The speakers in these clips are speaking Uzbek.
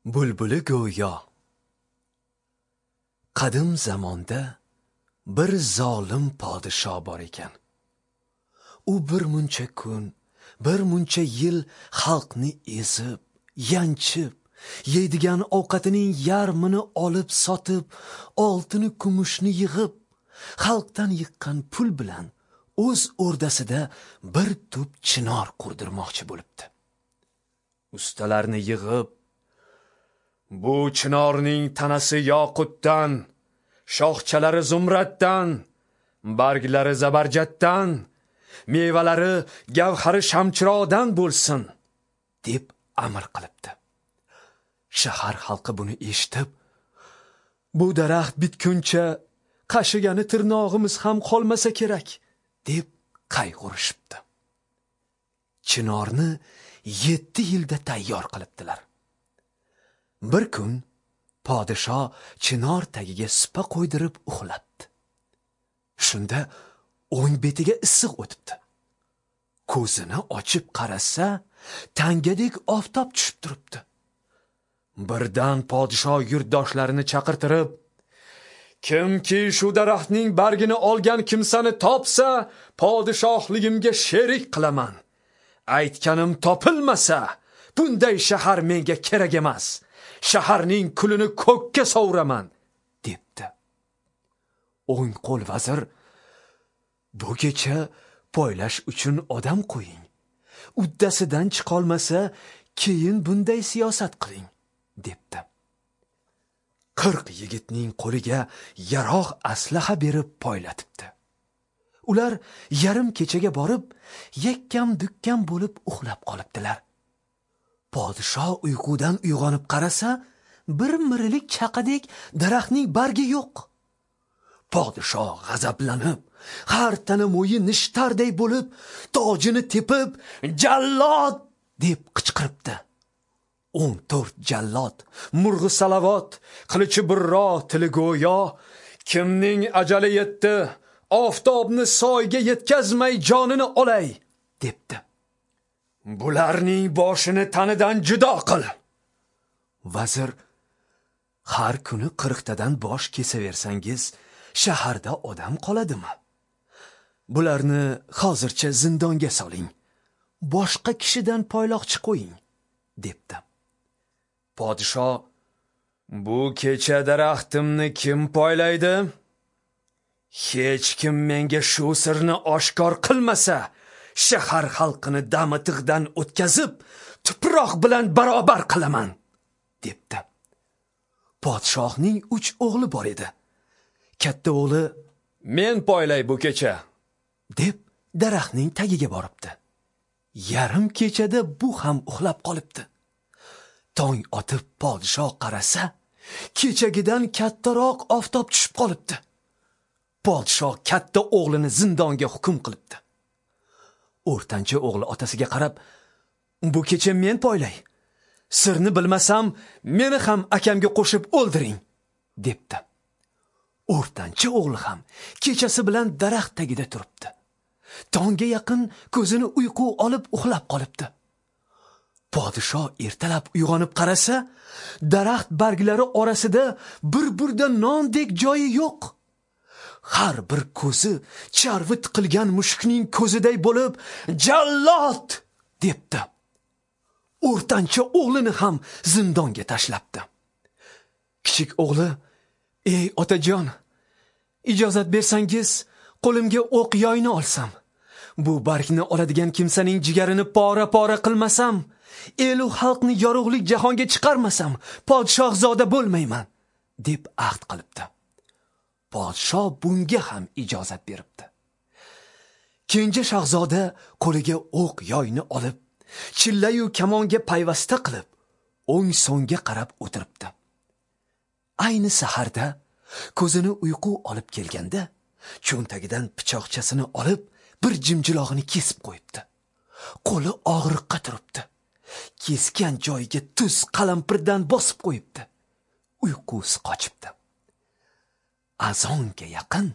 Bulbuli go'yo. Qadim zamonda bir zolim podsho bor ekan. U bir muncha kun, bir muncha yil xalqni ezib, yanchib, yeydigan ovqatining yarmini olib sotib, oltini kumushni yig'ib, xalqdan yiqqan pul bilan o'z o'rdasida bir tup chinor qurdirmoqchi bo'libdi. Ustalarni yig'ib, bu chinorning tanasi yoqutdan, shoxchalari zumraddan, barglari zabarjatdan, mevalari gavhari shamchiroqdan bo'lsin, deb amr qilibdi. Shahar xalqi buni eshitib, bu daraxt bitguncha qashigani tirnog'imiz ham qolmasa kerak, deb qayg'urishibdi. Chinorni 7 yilda tayyor qilibdilar. Bir kun podsho chinor tagiga supa qo'ydirib uxlabdi. Shunda o'ng betiga issiq o'tibdi. Ko'zini ochib qarasa, tangadek oftob tushib turibdi. Birdan podsho yurtdoshlarini chaqirtirib, kimki shu daraxtning bargini olgan kimsani topsa, podshohligimga sherik qilaman. Aytganim topilmasa, bunday shahar menga kerak emas. Shaharning kulini ko'kka sovuraman, debdi. O'ng qo'l vazir, bu kecha poylash uchun odam qo'ying. Uddasidan chiqolmasa, keyin bunday siyosat qiling, debdi. 40 yigitning qo'liga yarog' aslaha berib poylatibdi. Ular yarim kechaga borib, yakkam-dukkam bo'lib uxlab qolibdilar. Podsho uyqudan uyg'onib qarasa, bir mirilik chaqadek daraxtning bargi yo'q. Podsho g'azablanib, har tana mo'yi nishtarday bo'lib, tojini tepib, "Jallod!" deb qichqiribdi. 14 jallod, murg'i salavot, qilichi burro, tili go'yo, kimning ajali yetdi, oftobni soyga yetkazmay jonini olay, debdi. Bularning boshini tanidan judo qil. Vazir, har kuni 40 tadan bosh kesaversangiz, shaharda odam qoladimi? Bularni hozircha zindonga soling. Boshqa kishidan poyloqchi qo'ying, debdi. Podsho, bu kecha daraxtimni kim poylaydi? Hech kim menga shu sirni oshkor qilmasa, shahar xalqini dami tig'dan o'tkazib, tuproq bilan barobar qilaman, debdi. Podshohning 3 o'g'li bor edi. Katta o'g'li, men poylay bu kecha, deb daraxtning tagiga boribdi. Yarim kechada bu ham uxlab qolibdi. Tong otib podshoh qarasa, kechagidan kattaroq oftob tushib qolibdi. Podshoh katta o'g'lini zindonga hukm qilibdi. O'rtancha o'g'li otasiga qarab, bu kecha men poylay. Sirni bilmasam, meni ham akamga qo'shib o'ldiring, debdi. O'rtancha o'g'li ham kechasi bilan daraxt tagida turibdi. Tongga yaqin ko'zini uyqu olib uxlab qolibdi. Podsho ertalab uyg'onib qarasa, daraxt barglari orasida bir burda nondek joyi yo'q. Har bir ko'zi charvi tiqilgan mushukning ko'ziday bo'lib, "Jallod!" debdi. O'rtancha o'g'lini ham zindonga tashlabdi. Kichik o'g'li, "Ey otajon, ijozat bersangiz, qo'limga o'q yoyni olsam, bu bargni oladigan kimsaning jigarini pora-pora qilmasam, elu xalqni yorug'lik jahonga chiqarmasam, podshohzoda bo'lmayman", deb ahd qilibdi. Podsho bunga ham ijozat beribdi. Kenja shahzoda qo'liga o'q yoyni olib, chillayu kamonga payvasta qilib, o'ng so'ngga qarab o'tiribdi. Ayni saharda ko'zini uyqu olib kelganda, cho'ntagidan pichoqchasini olib, bir jimjilog'ini kesib qo'yibdi. Qo'li og'riqqa turibdi. Kesgan joyiga tuz qalampirdan bosib qo'yibdi. Uyqusi qochibdi. Azonga yaqin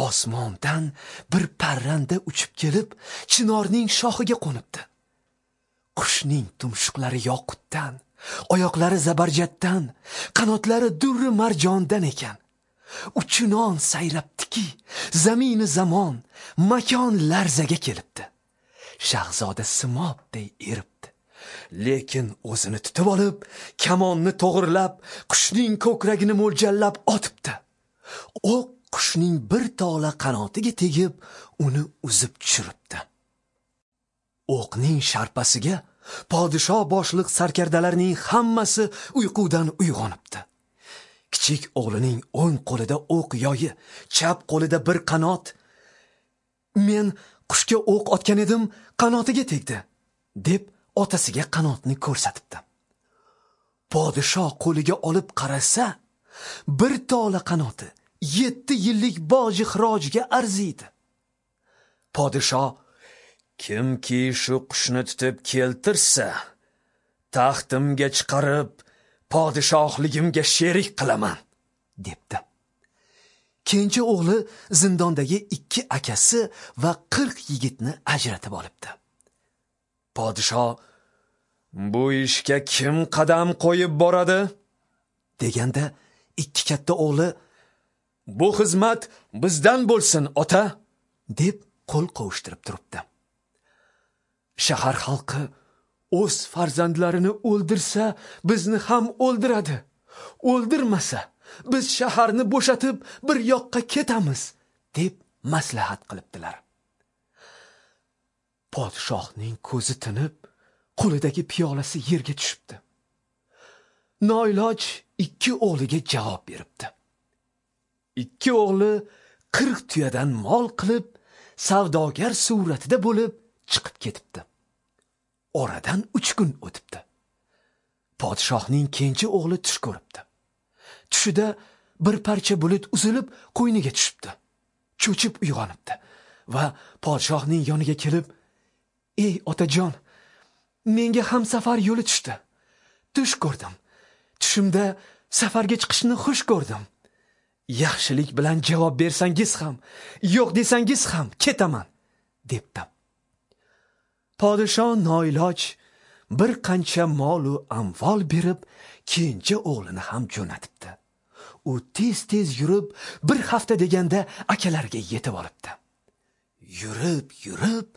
osmondan bir parranda uchib kelib, chinorning shoxiga qo'nibdi. Qushning tumshuqlari yoqutdan, Oyoqlari zabarjatdan, qanotlari durri marjondan ekan. Uchinon sayrabdiki, zamini zamon, makon larzaga kelibdi. Shahzoda simobday eribdi. Lekin o'zini tutib olib, kamonni to'g'irlab, qushning ko'kragini mo'ljallab otibdi. O'q qushning bir tola qanotiga tegib, uni uzib tushiribdi. O'qning sharpasiga podsho boshliq sarkardalarning hammasi uyqudan uyg'onibdi. Kichik o'g'lining o'ng qo'lida o'q yoyi, chap qo'lida bir qanot. Men qushga o'q otgan edim, qanotiga tegdi, deb otasiga qanotni ko'rsatibdi. Podsho qo'liga olib qarasa, bir tola qanoti 7 yillik boji xirojga arziydi. Podsho kimki shu qushni tutib keltirsa, taxtimga chiqarib, podshohligimga sherik qilaman, debdi. Kenja o'g'li zindondagi 2 akasi va 40 yigitni ajratib olibdi. Podsho bu ishga kim qadam qo'yib boradi, deganda 2 katta o'g'li bu xizmat bizdan bo'lsin, ota, deb qo'l qovushtirib turibdi. Shahar xalqi o'z farzandlarini o'ldirsa, bizni ham o'ldiradi. O'ldirmasa, biz shaharni bo'shatib bir yoqqa ketamiz, deb maslahat qilibdilar. Podshohning ko'zi tinib, qo'lidagi piyolasi yerga tushibdi. Noiloj 2 o'g'liga javob beribdi. 2 o'g'li 40 tuyadan mol qilib, savdogar suratida bo'lib chiqib ketibdi. Oradan 3 kun o'tibdi. Podshohning kenja o'g'li tush ko'ribdi. Tushida bir parcha bulut uzilib qo'yniga tushibdi. Cho'chib uyg'onibdi va podshohning yoniga kelib, "Ey otajon, menga ham safar yo'li tushdi. Tush ko'rdim. Tushimda safarga chiqishni xush ko'rdim. Yaxshilik bilan javob bersangiz ham, yo'q desangiz ham ketaman", debdi. Podsho noiloj bir qancha mol u amvol berib, kenja o'g'lini ham jo'natibdi. U tez-tez yurib, bir hafta deganda akalariga yetib olibdi. Yurib-yurib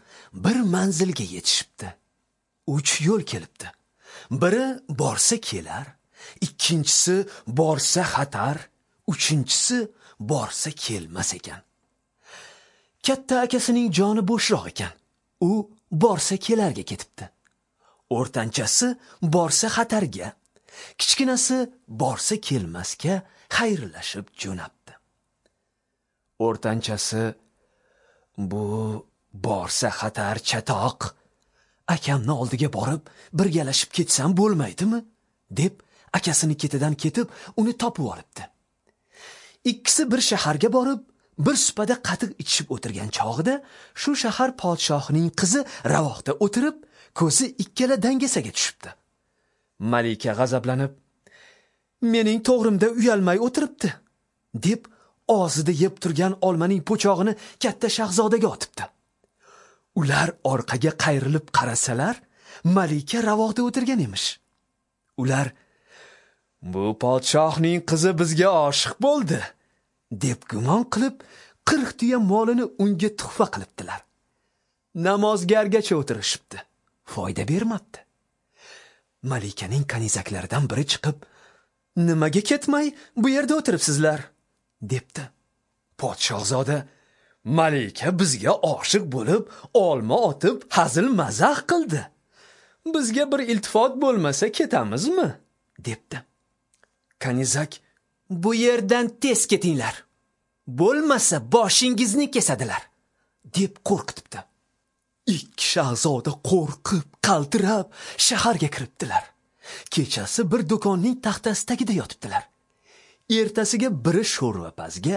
bir manzilga yetishibdi. 3 yo'l kelibdi. Biri borsa kelar, ikkinchisi borsa xatar, uchinchisi borsa kelmas ekan. Katta akasining joni bo'shroq ekan. U borsa kelarga ketibdi. O'rtanchasi borsa xatarga, kichkinasi borsa kelmasga xayrlashib jo'nabdi. O'rtanchasi bu borsa xatar chatoq, akamni oldiga borib birgalashib ketsam bo'lmaydimi, deb akasini ketidan ketib uni topib olibdi. Ikkisi bir shaharga borib, bir supada qatiq ichishib o'tirgan chog'ida shu shahar podshohining qizi ravoqda o'tirib, ko'zi ikkala dangasaga tushibdi. Malika g'azablanib, "Mening to'g'rimda uyalmay o'tiribdi", deb og'zida yeb turgan olmaning po'chog'ini katta shahzodaga otibdi. Ular orqaga qayrilib qarasalar, malika ravoqda o'tirgan emish. Ular "Bu podshohning qizi bizga oshiq bo'ldi", deb gumon qilib, 40 tuya molini unga tuhfa qilibdilar. Namozgargacha o'tirishibdi. Foyda bermabdi. Malikaning kanizaklaridan biri chiqib, "Nimaga ketmay bu yerda o'tiribsizlar?" debdi. Podshohzoda "Malika bizga oshiq bo'lib, olma otib, hazil mazax qildi. Bizga bir iltifot bo'lmasa ketamizmi?" debdi. Kanizak "Bu yerdan tez ketinglar. Bo'lmasa boshingizni kesadilar", deb qo'rqitibdi. 2 shahzoda qo'rqib, qaltirab shaharga kiribdilar. Kechasi bir do'konning taxtasi tagida yotibdilar. Ertasiga biri sho'rvapazga,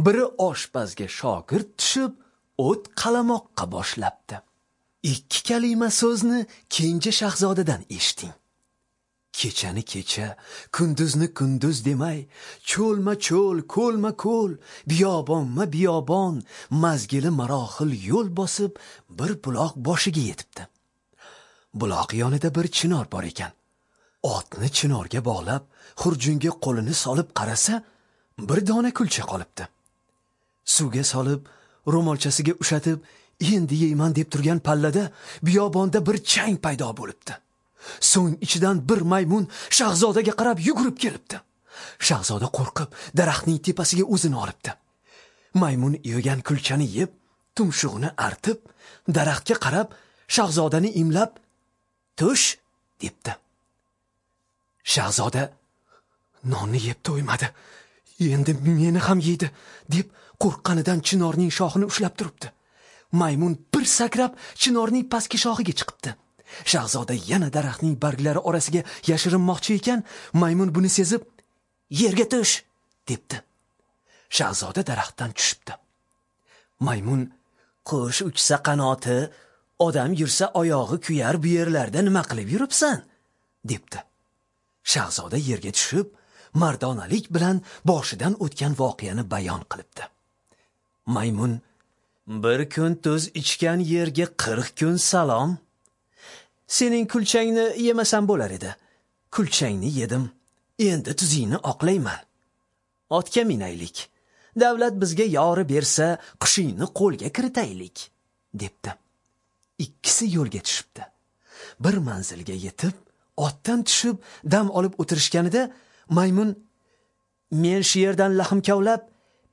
biri oshpazga shogird tushib, o't qalamoqqa boshlabdi. 2 kalima so'zni kenja shahzodadan eshiting. Kechani kecha, kunduzni kunduz demay, cho'lma cho'l, ko'lma ko'l, biyobonma biyobon, mazgili marohil yo'l bosib, bir buloq boshiga yetibdi. Buloq yonida bir chinor bor ekan. Otni chinorga bog'lab, xurjunga qo'lini solib qarasa, bir dona kulcha qolibdi. Suvga solib, ro'molchasiga ushatib, endi yeyman deb turgan pallada biyobonda bir chang paydo bo'libdi. So'ng ichidan bir maymun shahzodaga qarab yugurib kelibdi. Shahzoda qo'rqib, daraxtning tepasiga o'zini olibdi. Maymun yegan kulchani yeb, tumshug'ini artib, daraxtga qarab shahzodani imlab, "Tush" debdi. Shahzoda nonni yeb to'ymadi. Endi meni ham yeydi deb qo'rqqanidan chinorning shoxini ushlab turibdi. Maymun bir sakrab chinorning pastki shoxiga chiqibdi. Shahzoda yana daraxtning barglari orasiga yashirinmoqchi ekan, maymun buni sezib, "Yerga tush" debdi. Shahzoda daraxtdan tushibdi. Maymun, "Qush uchsa qanoti, odam yursa oyog'i kuyar, bu yerlarda nima qilib yuribsan?" debdi. Shahzoda yerga tushib, mardonalik bilan boshidan o'tgan voqeani bayon qilibdi. Maymun, "Bir kun tuz ichgan yerga 40 kun salom. Sening kulchangni yemasam bo'lar edi. Kulchangni yedim. Endi tuzingni oqlayman. Otga minaylik. Davlat bizga yori bersa, qushingni qo'lga kiritaylik" debdi. Ikkisi yo'lga tushibdi. Bir manzilga yetib, otdan tushib, dam olib o'tirishganida maymun, "Men shu yerdan lahm kavlab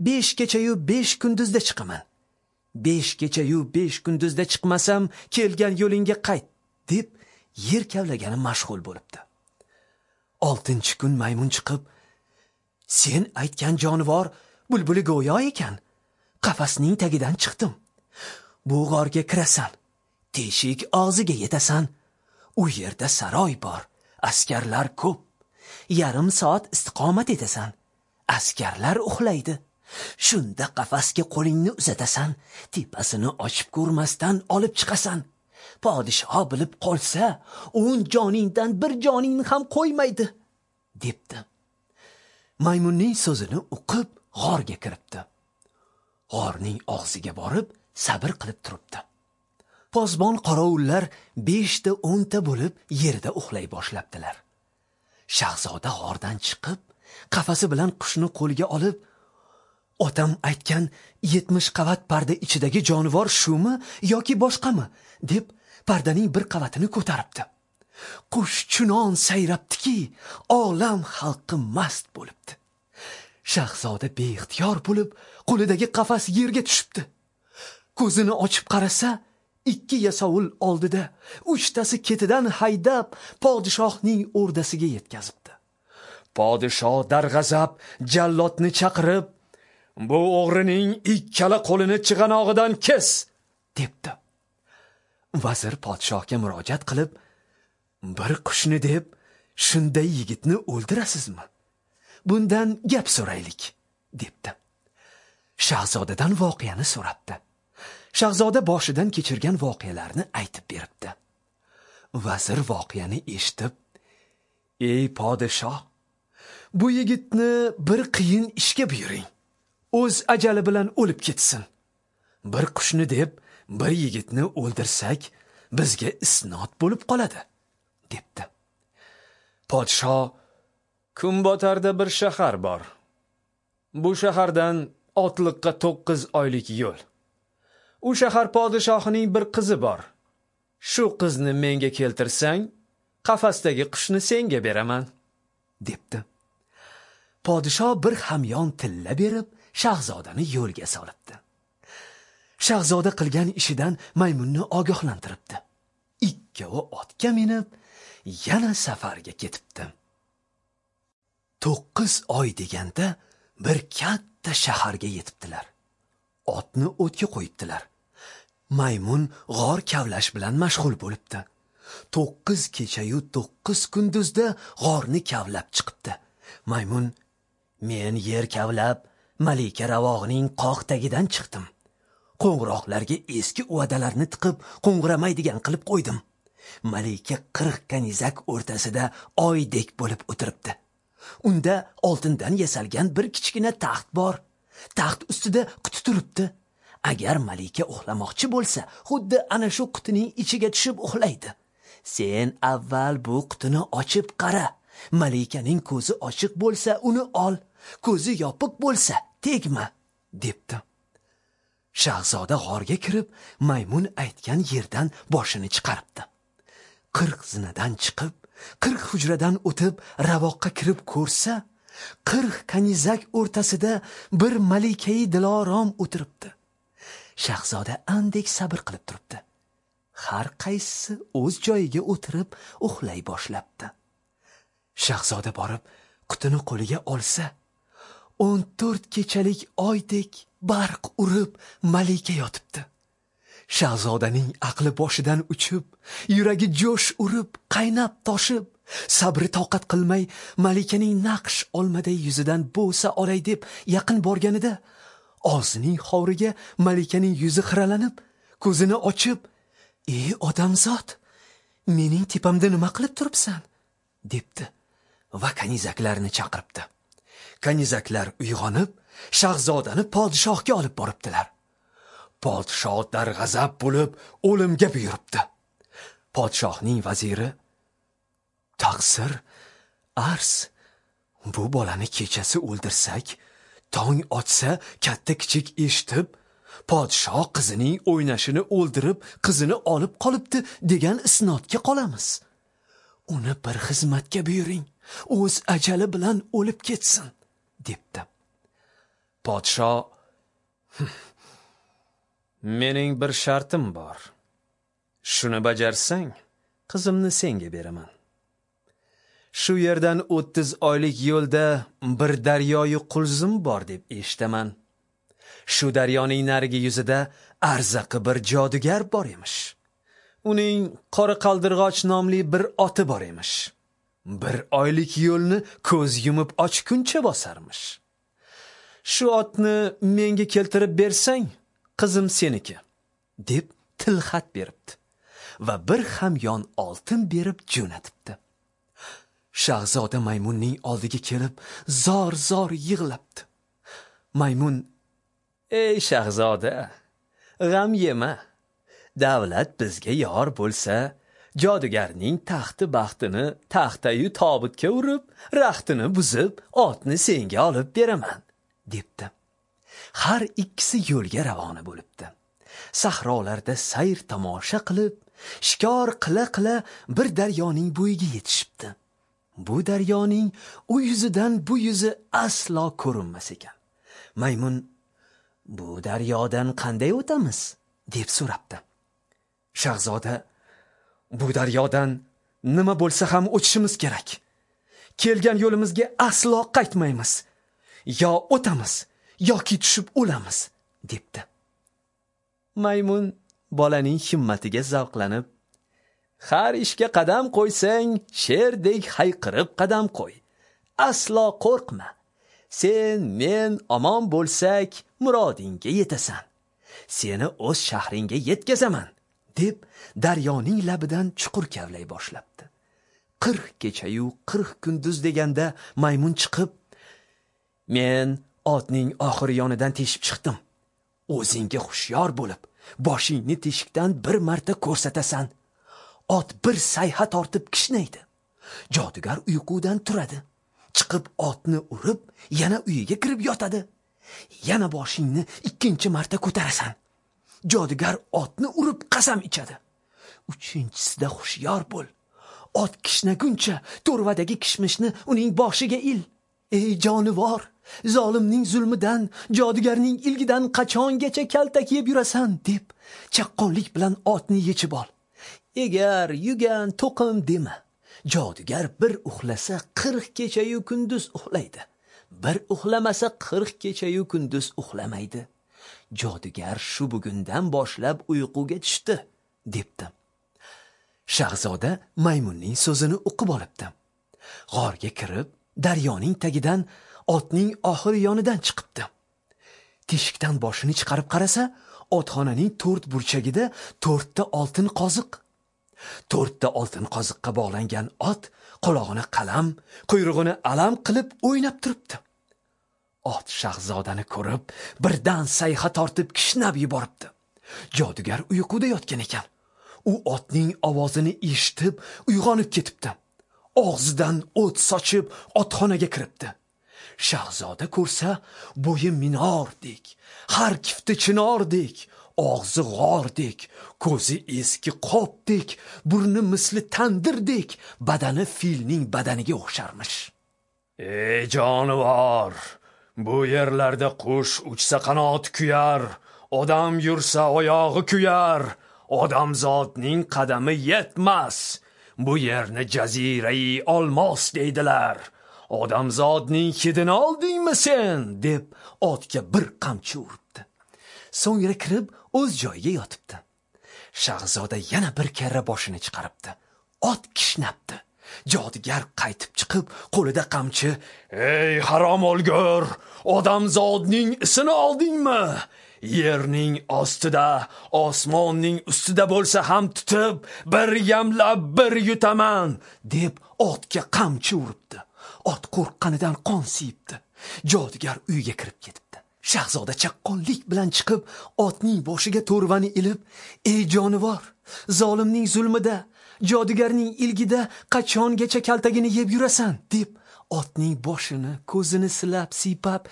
5 kecha-yu 5 kunduzda chiqaman. 5 kecha-yu 5 kunduzda chiqmasam, kelgan yo'lingga qayt" deb yer kavlagani mashg'ul bo'libdi. 6-kun maymun chiqib, "Sen aytgan jonivor bulbuli go'yo ekan. Qafasning tagidan chiqdim. Bu g'orga kirasan, teshik og'ziga yetasan. U yerda saroy bor, askarlar ko'p. Yarim soat istiqomat etasan. Askarlar uxlaydi. Shunda qafasga qo'lingni uzatasan, tepasini ochib ko'rmasdan olib chiqasan. Podshoh bilib qolsa, 10 joningdan bir joningni ham qo'ymaydi" debdi. Maymunning so'zini uqib g'orga kiribdi. G'orning og'ziga borib, sabr qilib turibdi. Posbon qorovullar 5 ta 10 ta bo'lib yerda uxlay boshlabdilar. Shahzoda g'ordan chiqib, qafasi bilan qushni qo'lga olib, "Otam aytgan 70 qavat parda ichidagi jonivor shumi yoki boshqami?" deb pardaning bir qavatini ko'taribdi. Qush chunon sayrabdiki, olam xalqi mast bo'libdi. Shahzoda beixtiyor bo'lib, qo'lidagi qafas yerga tushibdi. Ko'zini ochib qarasa, 2 yasovul oldida, 3 tasi ketidan haydab podshohning o'rdasiga yetkazibdi. Podshoh darg'azab jallodni chaqirib, "Bu o'g'rining ikkala qo'lini chig'anog'idan kes" debdi. Vazir podshohga murojaat qilib, "Bir qushni deb shunday yigitni o'ldirasizmi? Bundan gap so'raylik" debdi. Shahzodadan voqeani so'rabdi. Shahzoda boshidan kechirgan voqealarni aytib beribdi. Vazir voqeani eshitib, "Ey podshoh, bu yigitni bir qiyin ishga buyuring. O'z ajali bilan o'lib ketsin. Bir qushni deb bir yigitni o'ldirsak, bizga isnot bo'lib qoladi" debdi. Podshoh, "Kunbotarda bir shahar bor. Bu shahardan otliqqa 9 oylik yo'l. U shahar podshohining bir qizi bor. Shu qizni menga keltirsang, qafasdagi qushni senga beraman" debdi. Podshoh bir hamyon tilla berib, shahzodani yo'lga solibdi. Shahzoda qilgan ishidan maymunni ogohlantiribdi. Ikkovi otga minib, yana safarga ketibdi. 9 oy deganda bir katta shaharga yetibdilar. Otni o'tga qo'yibdilar. Maymun g'or kavlash bilan mashg'ul bo'libdi. 9 kecha-yu 9 kunduzda g'orni kavlab chiqibdi. Maymun, "Men yer kavlab, Malika ravog'ining qoq tagidan chiqdim. Qo'ng'iroqlarga eski uvadalarni tiqib, qo'ng'iramaydigan qilib qo'ydim. Malika 40 kanizak o'rtasida oydek bo'lib o'tiribdi. Unda oltindan yasalgan bir kichkina taxt bor. Taxt ustida quti turibdi. Agar malika uxlamoqchi bo'lsa, xuddi ana shu qutining ichiga tushib uxlaydi. Sen avval bu qutini ochib qara. Malikaning ko'zi ochiq bo'lsa uni ol, ko'zi yopiq bo'lsa tegma, debdi. Shahzoda g'orga kirib, maymun aytgan yerdan boshini chiqaribdi. 40 zinadan chiqib, 40 hujradan o'tib, ravoqqa kirib ko'rsa, 40 kanizak o'rtasida bir malikai dilorom o'tiribdi. Shahzoda andek sabr qilib turibdi. Har qaysisi o'z joyiga o'tirib uxlay boshlabdi. Shahzoda borib qutini qo'liga olsa, 14 kechalik oydek barq urib malika yotibdi. Shahzodaning aqli boshidan uchib, yuragi jo'sh urib, qaynab toshib, sabri toqat qilmay malikaning naqsh olmaday yuzidan bo'sa olay deb yaqin borganida, og'zining hovriga malikaning yuzi xiralanib, ko'zini ochib, "Ey odamzod, mening tepamda nima qilib turibsan?" debdi va kanizaklarni chaqiribdi. Kanizaklar uyg'onib, shahzodani podshohga olib boribdilar. Podshoh darg'azab bo'lib, o'limga buyuribdi. Podshohning vaziri: "Taqsir, arz, bu bolani kechasi o'ldirsak, tong otsa katta kichik eshitib, podshoh qizining o'ynashini o'ldirib, qizini olib qolibdi degan isnodga qolamiz. Uni bir xizmatga buyuring, o'z ajali bilan o'lib ketsin", debdi. Podshoh: "Mening bir shartim bor. Shuni bajarsang, qizimni senga beraman. Shu yerdan 30 oylik yo'lda bir daryoyi Qulzum bor deb eshitaman. Shu daryoning narigi yuzida arzaqi bir jodugar bor emish. Uning Qora Qaldirg'och nomli bir oti bor emish. Bir oylik yo'lni ko'z yumib ochguncha bosarmish. Shu otni menga keltirib bersang, qizim seniki", deb tilxat beribdi va bir hamyon oltin berib jo'natibdi. Shahzoda maymunning oldiga kelib zor-zor yig'labdi. Maymun: "Ey shahzoda, g'am yema. Davlat bizga yor bo'lsa, jodugarning taxti baxtini taxtayu tobutga urib, raxtini buzib, otni senga olib beraman", debdi. Har ikkisi yo'lga ravona bo'libdi. Sahrolarda sayr tomosha qilib, shikor qila-qila bir daryoning bo'yiga yetishibdi. Bu daryoning u yuzidan bu yuzi aslo ko'rinmas ekan. Maymun: "Bu daryodan qanday o'tamiz?" deb so'rabdi. Shahzoda: "Bu daryodan nima bo'lsa ham o'tishimiz kerak. Kelgan yo'limizga aslo qaytmaymiz. Yo o'tamiz, yoki tushib o'lamiz", debdi. Maymun bolaning himmatiga zavqlanib, "Har ishga qadam qo'ysang, sherdek hayqirib qadam qo'y. Aslo qo'rqma. Sen, men omon bo'lsak, murodingga yetasan. Seni o'z shahringga yetkazaman", deb daryoning labidan chuqur kavlay boshlabdi. 40 kecha-yu 40 kunduz deganda maymun chiqib, "Men otning oxiri yonidan teshib chiqdim. O'zingga hushyor bo'lib, boshingni teshikdan bir marta ko'rsatasan. Ot bir sayha tortib kishnaydi. Jodugar uyqudan turadi. Chiqib otni urib, yana uyiga kirib yotadi. Yana boshingni ikkinchi marta ko'tarasan. Jodugar otni urib qasam ichadi. Uchinchisida hushyor bo'l. Ot kishnaguncha to'rvadagi kishmishni uning boshiga il. Ey jonivor, zolimning zulmidan, jodugarning ilgidan qachongacha kaltak yeb yurasan?" deb chaqqonlik bilan otni yechib ol. Egar, yugan, to'qim dema. Jodugar bir uxlasa 40 kecha-yu kunduz uxlaydi. Bir uxlamasa 40 kecha-yu kunduz uxlamaydi. Jodugar shu bugundan boshlab uyquga tushdi, debdi. Shahzoda maymunning so'zini uqib olibdi. G'orga kirib, daryoning tagidan otning oxiri yonidan chiqibdi. Teshikdan boshini chiqarib qarasa, otxonaning 4 burchagida 4 ta oltin qoziq. 4 ta oltin qoziqqa bog'langan ot qulog'ini qalam, quyrug'ini alam qilib o'ynab turibdi. Ot shahzodani ko'rib, birdan sayha tortib kishnab yuboribdi. Jodugar uyquda yotgan ekan. U otning ovozini eshitib uyg'onib ketibdi. Og'zidan o't sochib otxonaga kiribdi. Shahzoda ko'rsa, bo'yi minordek, har kifti chinordek, og'zi g'ordek, ko'zi eski qopdek, burni misli tandirdek, badani filning badaniga o'xsharmish. Ey jonivor, bu yerlarda qush uchsa qanoti kuyar, odam yursa oyog'i kuyar, odamzodning qadami yetmas. Bu yerni jazirai olmos deydilar. Odamzodning hidini oldingmi sen, deb otga bir qamchi uribdi. So'ngra kirib o'z joyiga yotibdi. Shahzoda yana bir karra boshini chiqaribdi. Ot kishnabdi. Jodugar qaytib chiqib, qo'lida qamchi, "Ey harom o'lgur, odamzodning isini oldingmi? Yerning ostida, osmonning ustida bo'lsa ham tutib, bir yamlab bir yutaman", deb otga qamchi uribdi. Ot qo'rqqanidan qon siyibdi. Jodugar uyga kirib ketibdi. Shahzoda chaqqonlik bilan chiqib, otning boshiga to'rvani ilib, "Ey jonivor, zolimning zulmida, jodugarning ilgida qachongacha kaltagini yeb yurasan?" deb otning boshini, ko'zini silab, siypab,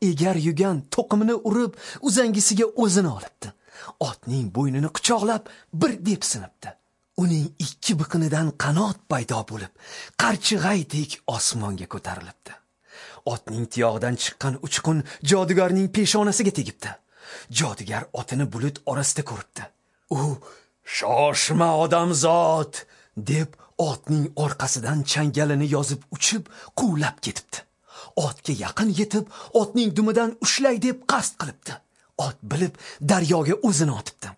egar yugan to'qimini urib, uzangisiga o'zini olibdi. Otning bo'ynini quchoqlab bir depsinibdi. Uning ikki biqinidan qanot paydo bo'lib, qarchig'aydek osmonga ko'tarilibdi. Otning tiyog'idan chiqqan uchqun jodugarning peshonasiga tegibdi. Jodugar otini bulut orasida ko'ribdi. U "Shoshma odamzod", deb otning orqasidan changalini yozib uchib, quvlab ketibdi. Otga yaqin yetib, otning dumidan ushlay deb qasd qilibdi. Ot bilib daryoga o'zini otibdi.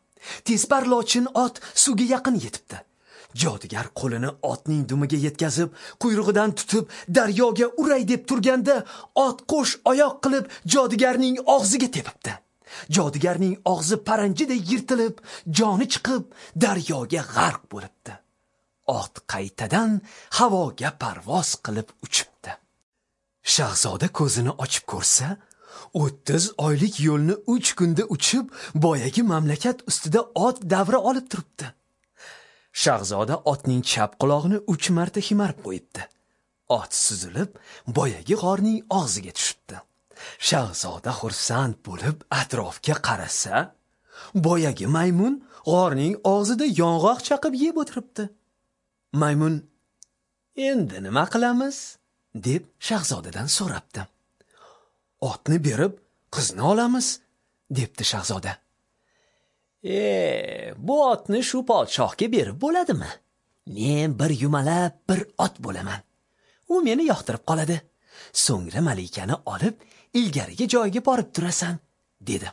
Tezpar lochin ot suvga yaqin yetibdi. Jodugar qo'lini otning dumiga yetkazib, quyrug'idan tutib daryoga uray deb turganda, ot qo'sh oyoq qilib jodugarning og'ziga tepibdi. Jodugarning og'zi paranjiday yirtilib, joni chiqib daryoga g'arq bo'libdi. Ot qaytadan havoga parvoz qilib uchibdi. Shahzoda ko'zini ochib ko'rsa, 30 oylik yo'lni 3 kunda uchib, boyagi mamlakat ustida ot davra olib turibdi. Shahzoda otning chap qulog'ini 3 marta himarib qo'yibdi. Ot suzilib, boyagi g'orning og'ziga tushibdi. Shahzoda xursand bo'lib atrofga qarasa, boyagi maymun g'orning og'zida yong'oq chaqib yeb o'tiribdi. Maymun, "Endi nima qilamiz?" deb shahzodadan so'rabdi. "Otni berib, qizni olamiz", debdi shahzoda. Bu otni shu podshohga berib bo'ladimi? Men bir yumalab bir ot bo'laman. U meni yoqtirib qoladi. So'ngra malikani olib, ilgarigi joyiga borib turasan", dedi.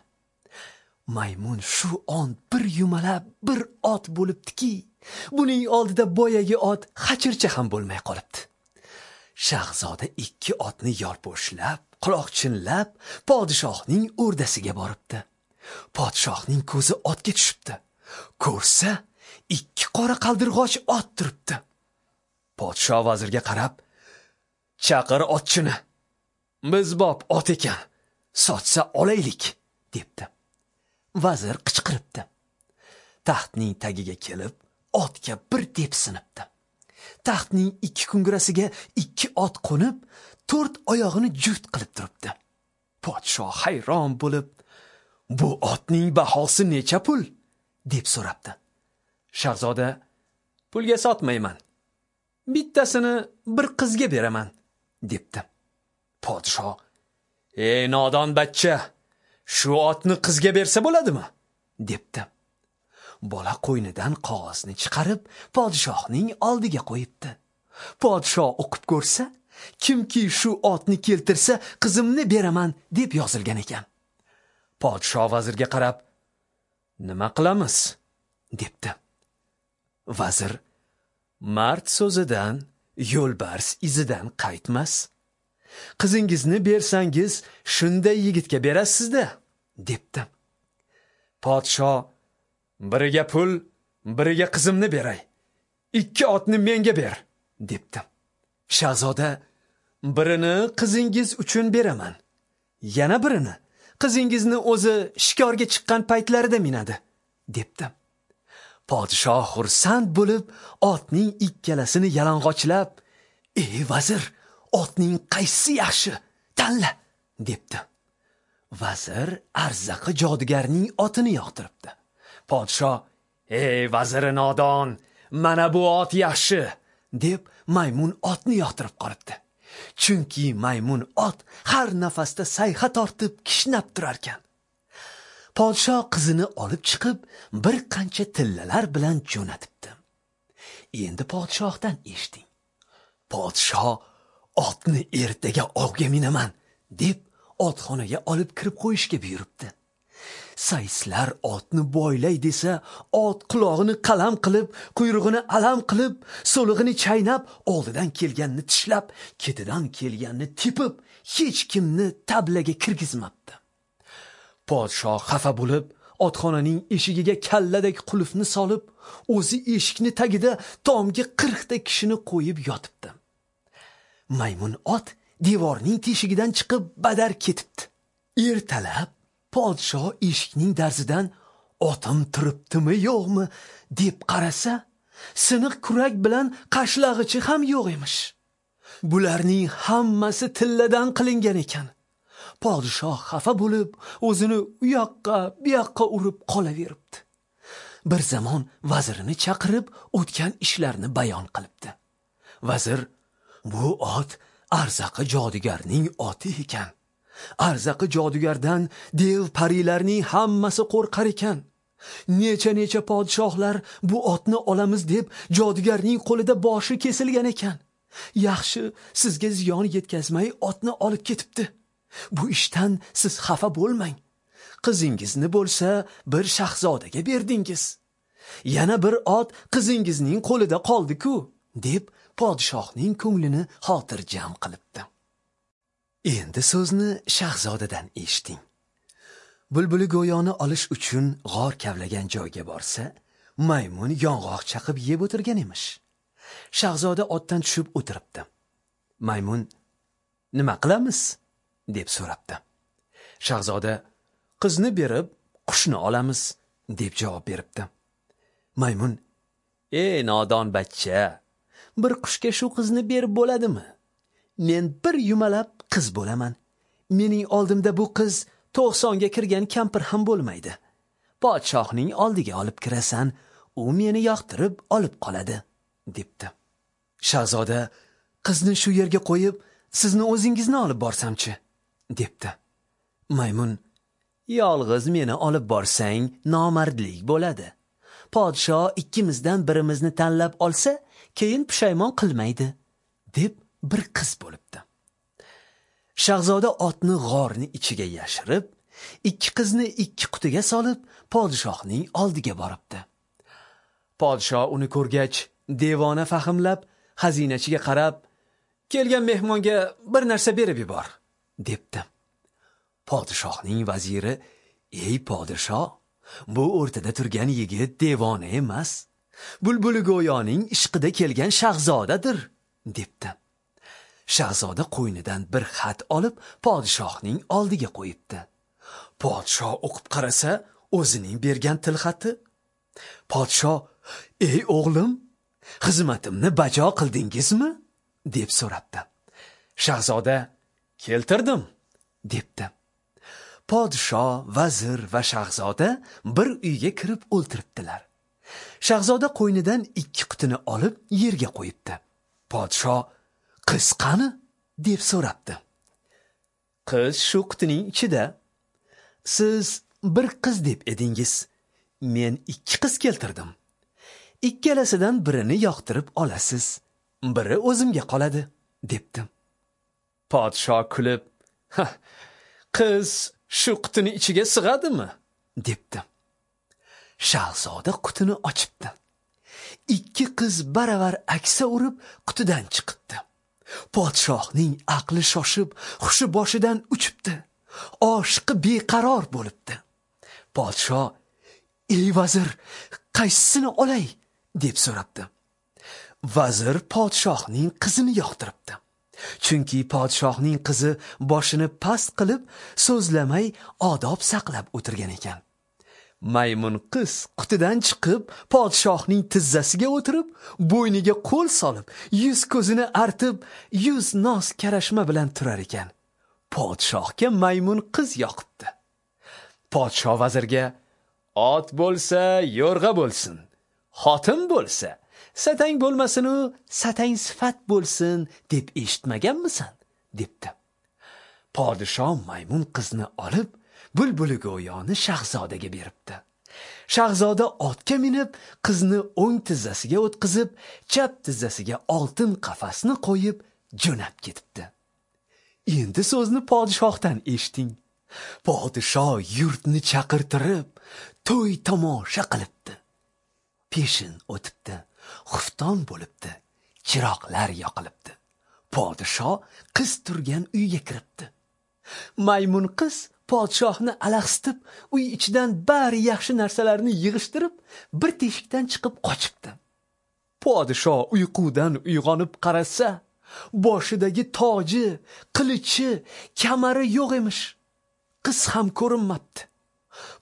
Maymun shu on bir yumalab bir ot bo'libdiki, buning oldida boyagi ot xachircha ham bo'lmay qolibdi. Shahzoda ikki otni yolpo'shlab, quloqchinlab podshohning o'rdasiga boribdi. Podshohning ko'zi otga tushibdi. Ko'rsa, ikki qora qaldirg'och ot turibdi. Podshoh vazirga qarab, "Chaqir otchini. Biz bob ot ekan, sotsa olaylik", debdi. Vazir qichqiribdi. Taxtning tagiga kelib, otga bir tepsinibdi. Taxtning ikki kungurasiga ikki ot qo'nib, to'rt oyog'ini juft qilib turibdi. Podshoh hayron bo'lib, "Bu otning bahosi necha pul?" deb so'rabdi. Shahzoda, "Pulga sotmayman. Bittasini bir qizga beraman", debdi. Podshoh, "Ey nodon bachcha, shu otni qizga bersa bo'ladimi?" debdi. Bola qo'ynidan qog'ozni chiqarib, podshohning oldiga qo'yibdi. Podshoh o'qib ko'rsa, "Kimki shu otni keltirsa, qizimni beraman" deb yozilgan ekan. Podshoh vazirga qarab, "Nima qilamiz?" debdi. Vazir, "Mard so'zidan, yo'lbars izidan qaytmas. Qizingizni bersangiz, shunday yigitga berasiz-da", debdi. Podshoh, "Biriga pul, biriga qizimni beray. Ikki otni menga ber", debdi. Shahzoda, "Birini qizingiz uchun beraman. Yana birini qizingizni o'zi shikorga chiqqan paytlarida minadi", debdi. Podshoh xursand bo'lib, otning ikkalasini yalang'ochlab, "Ey vazir, otning qaysi yaxshi? Tanla" debdi. Vazir arzaqi jodugarning otini yoqtiribdi. Podshoh, "Ey vaziri nodon, mana bu ot yaxshi" deb maymun otni yoqtirib qolibdi. Chunki maymun ot har nafasda sayha tortib kishnab turarkan. Podshoh qizini olib chiqib, bir qancha tillalar bilan jo'natibdi. Endi podshohdan eshiting. Podshoh otni ertaga ovga minaman deb otxonaga olib kirib qo'yishga buyuribdi. Sayslar otni boylay desa, ot qulog'ini qalam qilib, quyrug'ini alam qilib, so'lig'ini chaynab, oldidan kelganni tishlab, ketidan kelganni tepib, hech kimni tablaga kirgizmabdi. Podshoh xafa bo'lib, otxonaning eshigiga kalladek qulfni solib, o'zi eshikni tagida tomga 40 ta kishini qo'yib yotibdi. Maymun ot devorning teshigidan chiqib badar ketibdi. Ertalab podshoh eshikning darzidan otim turibdimi yo'qmi deb qarasa, siniq kurak bilan qashlag'ichi ham yo'q emish. Bularning hammasi tilladan qilingan ekan. Podshoh xafa bo'lib, o'zini u yoqqa, bu yoqqa urib qolaveribdi. Bir zamon vazirini chaqirib, o'tgan ishlarni bayon qilibdi. Vazir, "Bu ot arzaqi jodugarning oti ekan. Arzaqi jodugardan dev parilarning hammasi qo'rqar ekan. Necha-necha podshohlar bu otni olamiz deb jodugarning qo'lida boshi kesilgan ekan. Yaxshi, sizga ziyon yetkazmay otni olib ketibdi. Bu ishdan siz xafa bo'lmang. Qizingizni bo'lsa bir shahzodaga berdingiz. Yana bir ot qizingizning qo'lida qoldi-ku" deb podshohning ko'nglini xotirjam qilibdi. Endi so'zni shahzodadan eshiting. Bulbuli go'yoni olish uchun g'or kavlagan joyga borsa, maymun yong'oq chaqib yeb o'tirgan emish. Shahzoda otdan tushib o'tiribdi. Maymun, "Nima qilamiz?" deb so'rabdi. Shahzoda, "Qizni berib, qushni olamiz" deb javob beribdi. Maymun, "Ey nodon bachcha, bir qushga shu qizni berib bo'ladimi? Men bir yumalab qiz bo'laman. Mening oldimda bu qiz 90 ga kirgan kampir ham bo'lmaydi. Podshohning oldiga olib kirasan, u meni yoqtirib olib qoladi" debdi. Shahzoda, "Qizni shu yerga qo'yib, sizni o'zingizni olib borsamchi?" debdi. Maymun, "Yolg'iz meni olib borsang nomardlik bo'ladi. Podshoh ikkimizdan birimizni tanlab olsa, keyin pushaymon qilmaydi" deb bir qiz bo'libdi. Shahzoda otni g'orni ichiga yashirib, ikki qizni ikki qutiga solib, podshohning oldiga boribdi. Podshoh uni ko'rgach, devona fahmlab, xazinachiga qarab, "Kelgan mehmonga bir narsa berib yubor" debdi. Podshohning vaziri, "Ey podshoh, bu o'rtada turgan yigit devona emas, Bulbuli go'yoning ishqida kelgan shahzodadir" debdi. Shahzoda qo'ynidan bir xat olib, podshohning oldiga qo'yibdi. Podshoh o'qib qarasa, o'zining bergan tilxati. Podshoh, "Ey o'g'lim, xizmatimni bajo qildingizmi?" deb so'rabdi. Shahzoda, "Keltirdim" debdi. Podshoh, vazir va shahzoda bir uyga kirib o'ltiribdilar. Shahzoda qo'ynidan ikki qutini olib yerga qo'yibdi. Podshoh, "Qiz qani?" deb so'rabdi. "Qiz shu qutining ichida. Siz bir qiz deb edingiz. Men ikki qiz keltirdim. Ikkalasidan birini yoqtirib olasiz, biri o'zimga qoladi" debdi. Podshoh kulib, "Qiz shu qutini ichiga sig'adimi?" debdi. Shahzoda qutini ochibdi. Ikki qiz baravar aksa urib qutidan chiqibdi. Podshohning aqli shoshib, hushi boshidan uchibdi. Oshiqi beqaror bo'libdi. Podshoh, "Ey vazir, qaysisini olay?" deb so'rabdi. Vazir podshohning qizini yoqtiribdi. Chunki podshohning qizi boshini past qilib, so'zlamay odob saqlab o'tirgan ekan. Maymun qiz qutidan chiqib, podshohning tizzasiga o'tirib, bo'yniga qo'l solib, yuz ko'zini artib, yuz noz karashma bilan turar ekan. Podshohga maymun qiz yoqibdi. Podsho vazirga: "Ot bo'lsa, yo'rg'a bo'lsin, xotin bo'lsa, satang bo'lmasin u, satang sifat bo'lsin deb eshitmaganmisan?" debdi. Podsho maymun qizni olib, bulbuli go'yoni shahzodaga beribdi. Shahzoda otga minib, qizni o'ng tizzasiga o'tqizib, chap tizzasiga oltin qafasni qo'yib jo'nab ketibdi. Endi so'zni podshohdan eshiting. Podsho yurtni chaqirtirib, to'y tomosha qilibdi. Peshin o'tibdi, xufton bo'libdi, chiroqlar yoqilibdi. Podsho qiz turgan uyga kiribdi. Maymun qiz podshohni alahsitib, uy ichidan bari yaxshi narsalarni yig'ishtirib, bir teshikdan chiqib qochibdi. Podsho uyqudan uyg'onib qarasa, boshidagi toji, qilichi, kamari yo'q emish. Qiz ham ko'rinmabdi.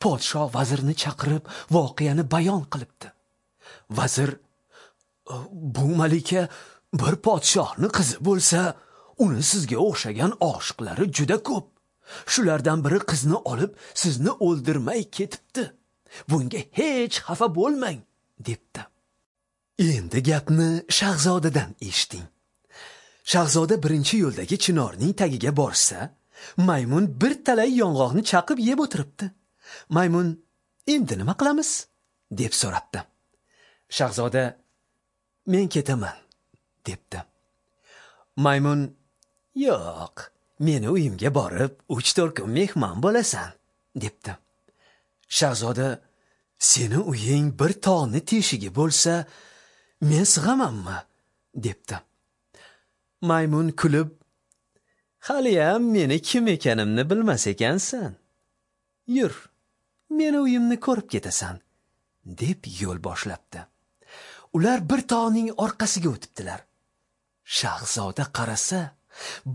Podsho vazirni chaqirib, voqeani bayon qilibdi. Vazir: "Bu malika bir podshohning qizi bo'lsa, uni sizga o'xshagan oshiqlari juda ko'p. Shulardan biri qizni olib, sizni o'ldirmay ketibdi. Bunga hech xafa bo'lmang", debdi. Endi gapni shahzodadan eshiting. Shahzoda birinchi yo'ldagi chinorning tagiga borsa, maymun bir talay yong'oqni chaqib yeb o'tiribdi. Maymun: "Endi nima qilamiz?" deb so'rabdi. Shahzoda: "Men ketaman", debdi. Maymun: "Yo'q, meni uyimga borib 3-4 kun mehmon bo'lasan", debdi. Shahzoda: "Seni uying bir tog'ni teshigi bo'lsa, men sig'amanmi?" debdi. Maymun kulib: "Haliyam meni kim ekanimni bilmas ekansan. Yur, meni uyimni ko'rib ketasan", deb yo'l boshlabdi. Ular bir tog'ning orqasiga o'tibdilar. Shahzoda qarasa,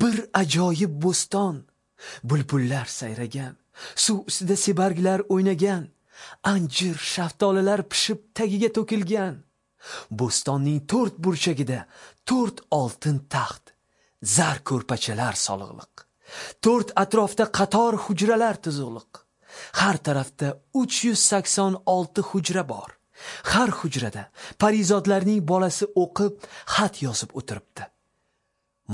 bir ajoyib bo'ston, bulbullar sayragan, suv ustida sebarglar o'ynagan, anjir, shaftolilar pishib tagiga to'kilgan. Bo'stonning 4 burchagida 4 oltin taxt, zar ko'rpachalar soliqliq. 4 atrofda qator hujralar tuzuqliq. Har tarafda 386 hujra bor. Har hujrada parizodlarning bolasi o'qib, xat yozib o'tiribdi.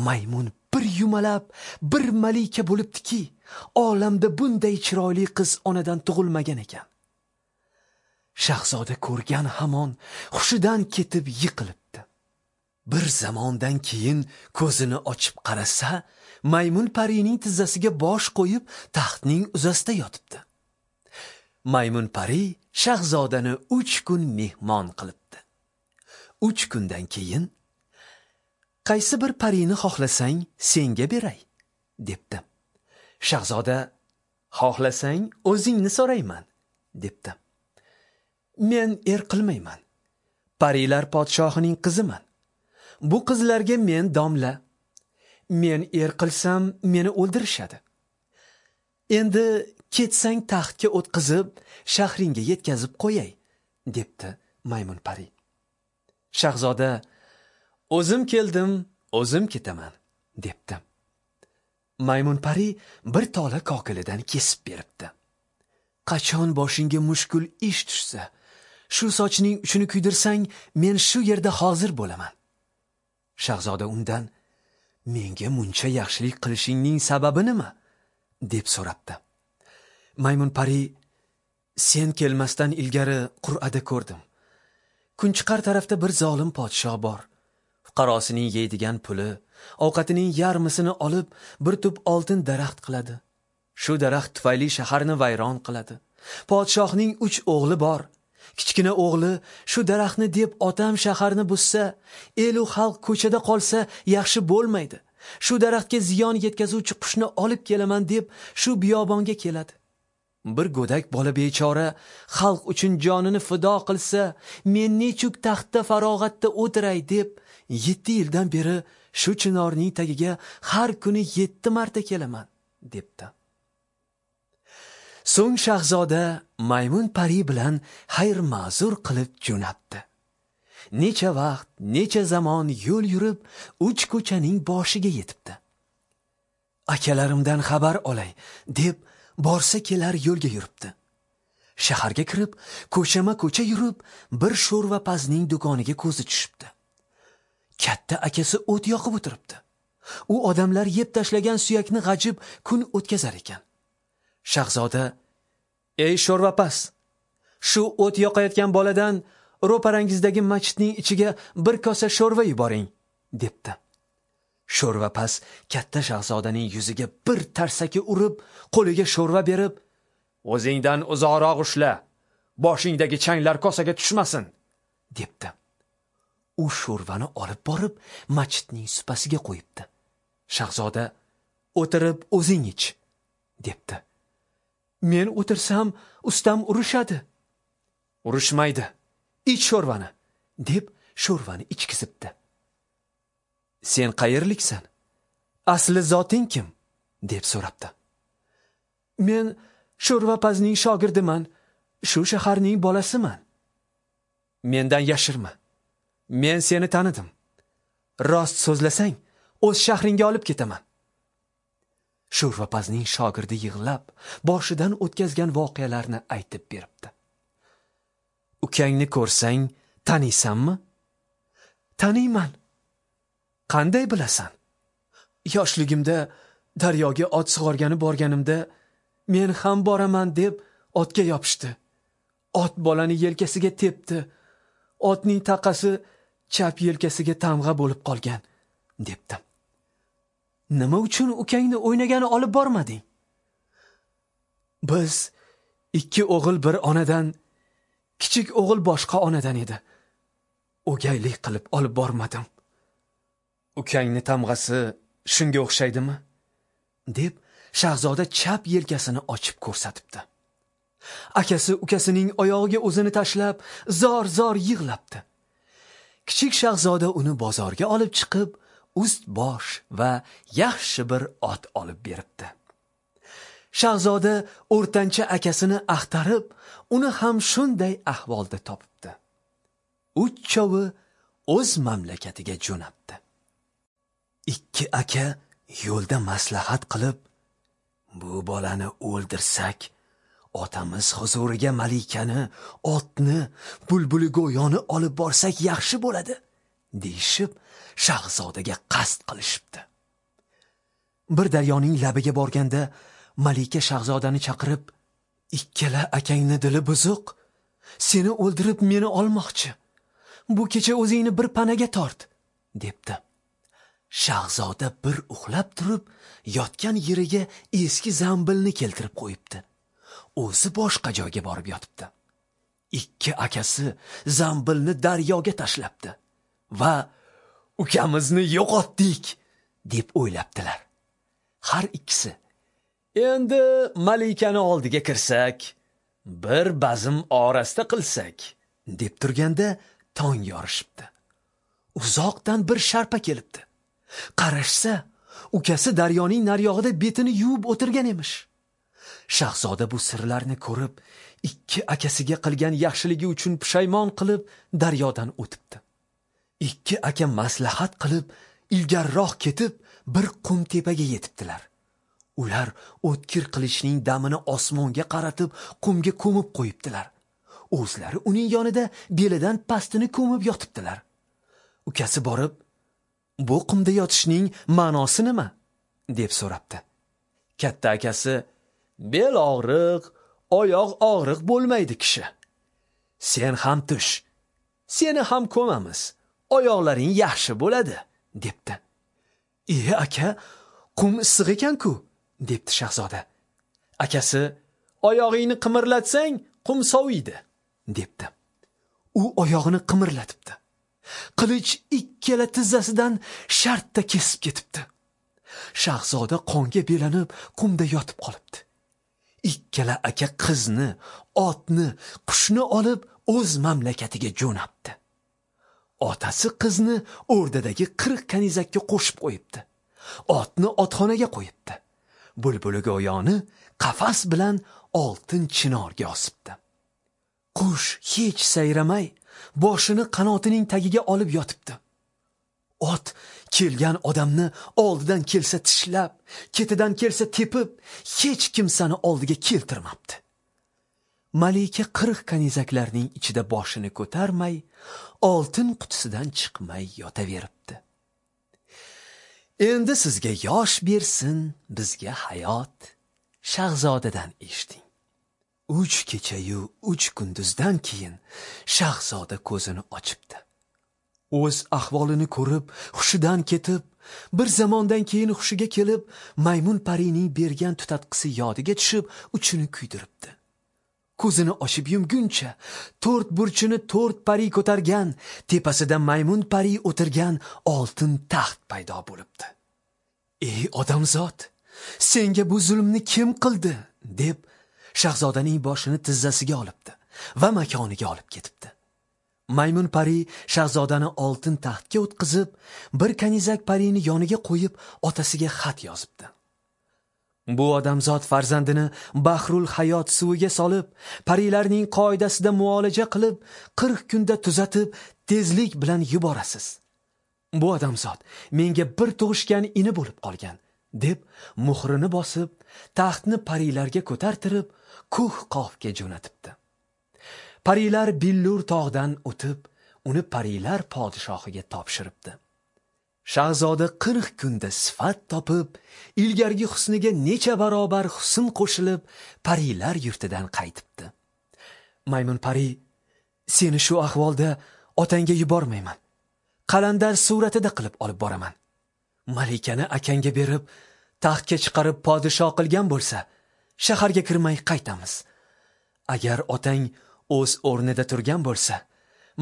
Maymun bir yumalab, bir malika bo'libdiki, olamda bunday chiroyli qiz onadan tug'ilmagan ekan. Shahzoda ko'rgan hamon hushidan ketib yiqilibdi. Bir zamondan keyin ko'zini ochib qarasa, maymun parining tizzasiga bosh qo'yib, taxtning uzasida yotibdi. Maymun pari shahzodani 3 kun mehmon qilibdi. 3 kundan keyin: "Qaysi bir parini xohlasang, senga beray", debdi. Shahzoda: "Xohlasang, o'zingni so'rayman", debdi. "Men er qilmayman. Parilar podshohining qiziman. Bu qizlarga men domla. Men er qilsam, meni o'ldirishadi. Endi ketsang taxtga o'tqizib, shahringga yetkazib qo'yay", debdi maymun pari. Shahzoda: "O'zim keldim, o'zim ketaman", debdi. Maymun pari bir tola kokilidan kesib beribdi. "Qachon boshingga mushkul ish tushsa, shu sochning uchini kuydirsang, men shu yerda hozir bo'laman." Shahzoda undan: "Menga muncha yaxshilik qilishingning sababi nima?" deb so'rabdi. Maymun pari: "Sen kelmasdan ilgari qur'ada ko'rdim. Kunchiqar tarafda bir zolim podsho bor. Fuqarosining yeydigan puli, ovqatining yarmisini olib, bir tup oltin daraxt qiladi. Shu daraxt tufayli shaharni vayron qiladi. Podshohning 3 o'g'li bor. Kichkina o'g'li shu daraxtni deb otam shaharni buzsa, el u xalq ko'chada qolsa yaxshi bo'lmaydi. Shu daraxtga ziyon yetkazuvchi qushni olib kelaman deb shu biyobonga keladi. Bir go'dak bola bechora xalq uchun jonini fido qilsa, men nechuk taxtda farog'atda o'tiray deb 7 yildan beri shu chinorning tagiga har kuni 7 marta kelaman", debdi. So'ng shahzoda maymun pari bilan xayr ma'zur qilib jo'natdi. Necha vaqt, necha zamon yo'l yurib, 3 ko'chaning boshiga yetibdi. Akalarimdan xabar olay deb borsa kelar yo'lga yuribdi. Shaharga kirib, ko'chama-ko'cha yurib, bir sho'rvapazning do'koniga ko'zi tushibdi. Katta akasi o't yoqib o'tiribdi. U odamlar yeb tashlagan suyakni g'ajib kun o'tkazar ekan. Shahzoda: "Ey sho'rvapaz, shu o't yoqayotgan boladan ro'parangizdagi masjidning ichiga bir kosa sho'rva yuboring" debdi. Sho'rvapaz katta shahzodaning yuziga bir tarsaki urib, qo'liga sho'rva berib, "O'zingdan uzoqroq ushla, boshingdagi changlar kosaga tushmasin" debdi. U sho'rvani olib borib, masjidning supasiga qo'yibdi. Shahzoda: "O'tirib o'zing ich" debdi. "Men o'tirsam, ustam urishadi." "Urushmaydi. Ich sho'rvani" deb sho'rvani ichkizibdi. "Sen qayerliksan? Asli zoting kim?" deb so'rabdi. "Men sho'rvapazning shogirdiman, shu shaharning bolasiman." "Mendan yashirma. Men seni tanidim. Rost so'zlasang, o'z shahringga olib ketaman." Sho'rvapazning shogirdi yig'lab, boshidan o'tkazgan voqealarni aytib beribdi. "Ukangni ko'rsang, taniysanmi?" "Taniyman." "Qanday bilasan?" "Yoshligimda daryoga ot sug'organi borganimda men ham boraman deb otga yopishdi. Ot bolani yelkasiga tepdi. Otning taqasi chap yelkasiga tamg'a bo'lib qolgan" debdi. "Nima uchun ukangni o'ynagani olib bormading?" "Biz 2 o'g'il bir onadan, kichik o'g'il boshqa onadan edi. O'gaylik qilib olib bormadim." "Ukangni tamg'asi shunga o'xshaydimi?" deb shahzoda chap yelkasini ochib ko'rsatibdi. Akasi ukasining oyog'iga o'zini tashlab, zor-zor yig'labdi. Kichik shahzoda uni bozorga olib chiqib, ust bosh va yaxshi bir ot olib beribdi. Shahzoda o'rtancha akasini axtarib, uni ham shunday ahvolda topibdi. Uchovi o'z mamlakatiga jo'nabdi. 2 aka yo'lda maslahat qilib, "Bu bolani o'ldirsak, otamiz huzuriga malikani, otni, bulbuli go'yoni olib borsak yaxshi bo'ladi" deyishib, shahzodaga qasd qilishibdi. Bir daryoning labiga borganda malika shahzodani chaqirib, "Ikkala akangni dili buzuq, seni o'ldirib meni olmoqchi. Bu kecha o'zingni bir panaga tort" debdi. Shahzoda bir uxlab turib, yotgan yeriga eski zambilni keltirib qo'yibdi. O'zi boshqa joyga borib yotibdi. 2 akasi zambilni daryoga tashlabdi va "Ukamizni yo'qotdik" deb o'ylabdilar. Har ikkisi: "Endi malikani oldiga kirsak, bir bazm orasta qilsak" deb turganda tong yorishibdi. Uzoqdan bir sharpa kelibdi. Qarashsa, ukasi daryoning naryog'ida betini yuvib o'tirgan emish. Shahzoda bu sirlarni ko'rib, 2 akasiga qilgan yaxshiligi uchun pushaymon qilib daryodan o'tibdi. 2 aka maslahat qilib, ilgariroq ketib, bir qum tepaga yetibdilar. Ular o'tkir qilichning damini osmonga qaratib, qumga ko'mib qo'yibdilar. O'zlari uning yonida belidan pastini ko'mib yotibdilar. Ukasi borib, "Bu qumda yotishning ma'nosi nima?" deb so'rabdi. Katta akasi: "Bel og'riq, oyoq og'riq bo'lmaydi kishi. Sen ham tush, seni ham ko'mamiz, oyoqlaring yaxshi bo'ladi" debdi. "E aka, qum issiq ekan-ku" debdi shahzoda. Akasi: "Oyog'ingni qimirlatsang, qum soviydi" debdi. U oyog'ini qimirlatibdi. Qilich ikkala tizzasidan shartta kesib ketibdi. Shahzoda qonga belanib qumda yotib qolibdi. Ikkala aka qizni, otni, qushni olib o'z mamlakatiga jo'nabdi. Otasi qizni o'rdadagi 40 kanizakka qo'shib qo'yibdi. Otni otxonaga qo'yibdi. Bulbuli go'yoni qafas bilan oltin chinorga osibdi. Qush hech sayramay, boshini qanotining tagiga olib yotibdi. Ot kelgan odamni oldidan kelsa tishlab, ketidan kelsa tepib, hech kimsani oldiga keltirmabdi. Malika 40 kanizaklarning ichida boshini ko'tarmay, oltin qutisidan chiqmay yotaveribdi. Endi sizga yosh bersin, bizga hayot. Shahzodadan eshiting. 3 kecha-yu 3 kunduzdan keyin shahzoda ko'zini ochibdi. O'z ahvolini ko'rib, hushidan ketib, bir zamondan keyin hushiga kelib, maymun parining bergan tutatqisi yodiga tushib, uchini kuydiribdi. Ko'zini ochib yumguncha 4 burchini 4 pari ko'targan, tepasida maymun pari o'tirgan oltin taxt paydo bo'libdi. "Ey odamzod, senga bu zulmni kim qildi?" deb shahzodaning boshini tizzasiga olibdi va makoniga olib ketibdi. Maymun pari shahzodani oltin taxtga o'tqizib, bir kanizak parini yoniga qo'yib, otasiga xat yozibdi. Bu odamzod farzandini Bahrul Hayot suviga solib, parilarning qoidasida muolaja qilib, 40 kunda tuzatib, tezlik bilan yuborasiz. Bu odamzod menga bir tug'ishgan ini bo'lib qolgan, deb muhrini bosib, taxtni parilarga ko'tartirib, Ko'h Qofga jo'natibdi. Parilar Billur tog'dan o'tib, uni parilar podshohiga topshiribdi. Shahzoda 40 kunda sifat topib, ilgargi husniga necha barobar husn qo'shilib, parilar yurtidan qaytibdi. Maymun pari, seni shu ahvolda otangga yubormayman. Qalandar suratida qilib olib boraman. Malikani akangga berib, taxtga chiqarib podshoh qilgan bo'lsa, shaharga kirmay qaytamiz. Agar otang o'z o'rnida turgan bo'lsa,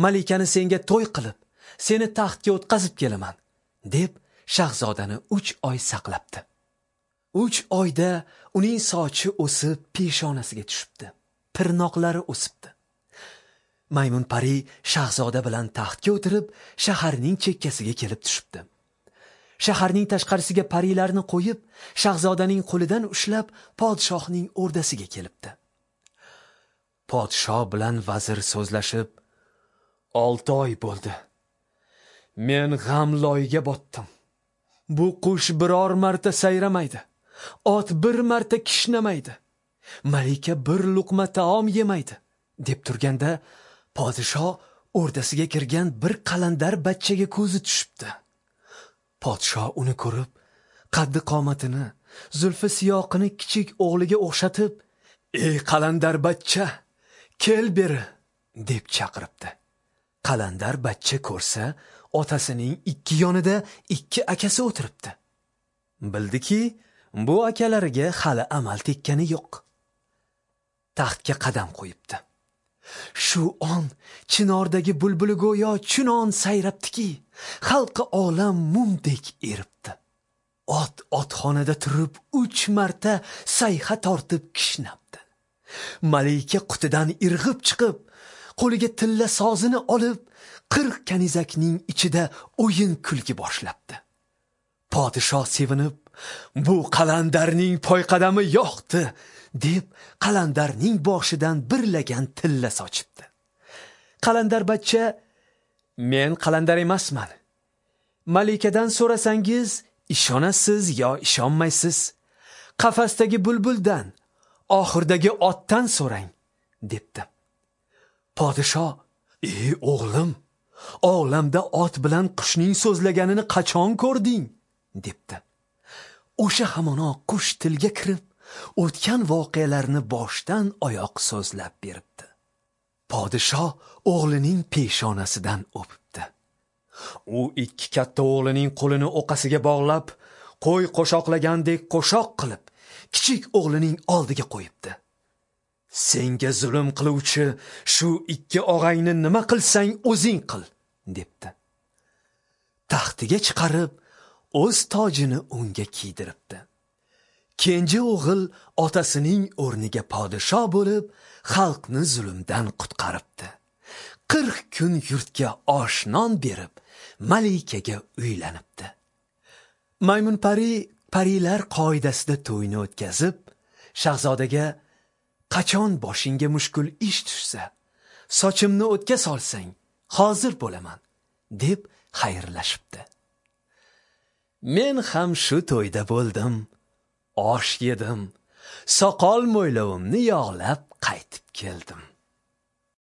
malikani senga to'y qilib, seni taxtga o'tqazib kelaman, deb shahzodani 3 oy saqlabdi. 3 oyda uning sochi o'sib peshonasiga tushibdi, tirnoqlari o'sibdi. Maymun pari shahzoda bilan taxtga o'tirib, shaharning chekkasiga kelib tushibdi. Shaharning tashqarisiga parilarni qo'yib, shahzodaning qo'lidan ushlab podshohning o'rdasiga kelibdi. Podshoh bilan vazir so'zlashib, 6 oy bo'ldi. Men g'am loyiga botdim. Bu qush biror marta sayramaydi. Ot bir marta kishnamaydi. Malika bir luqma taom yemaydi, deb turganda podshoh o'rdasiga kirgan bir qalandar bachchaga ko'zi tushibdi. Podshoh uni ko'rib, qaddi qomatini, zulfi siyoqini kichik o'g'liga o'xshatib, "Ey qalandar bachcha, kel beri" deb chaqiribdi. Qalandar bachcha ko'rsa, otasining ikki yonida 2 akasi o'tiribdi. Bildiki, bu akalariga hali amal tekkani yo'q. Taxtga qadam qo'yibdi. Shu on chinordagi bulbuli go'yo chunon sayrabdiki, xalqi olam mumdek eribdi. Ot otxonada turib 3 marta sayha tortib kishnabdi. Malika qutidan irg'ib chiqib, qo'liga tilla sozini olib, 40 kanizakning ichida o'yin kulgi boshlabdi. Podshoh sevinib, "Bu qalandarning poyqadami yo'qdi" deb qalandarning boshidan bir lagan tilla sochibdi. Qalandar bachcha, "Men qalandar emasman. Malikadan so'rasangiz, ishonasiz yo ishonmaysiz. Qafasdagi bulbuldan, oxirdagi otdan so'rang" debdi. Podshoh, "Ey o'g'lim, olamda ot bilan qushning so'zlaganini qachon ko'rding?" debdi. O'sha hamono qush tilga kirib, o'tgan voqealarni boshdan oyoq so'zlab beribdi. Podshoh o'g'lining peshonasidan o'pibdi. U 2 katta o'g'lining qo'lini o'qasiga bog'lab, qo'y qo'shoqlagandek qo'shoq qilib, kichik o'g'lining oldiga qo'yibdi. "Senga zulm qiluvchi shu 2 og'angni nima qilsang o'zing qil" debdi. Taxtiga chiqarib, o'z tojini unga kiydiribdi. Kenja o'g'il otasining o'rniga podshoh bo'lib, xalqni zulmdan qutqaribdi. 40 kun yurtga osh non berib, malikaga uylanibdi. Maymun pari parilar qoidasida to'yni o'tkazib, shahzodaga Qachon boshingga mushkul ish tushsa, sochimni o'tga solsang, hozir bo'laman, deb xayrlashibdi. Men ham shu to'yda bo'ldim, osh yedim, soqol mo'ylovimni yog'lab qaytib keldim.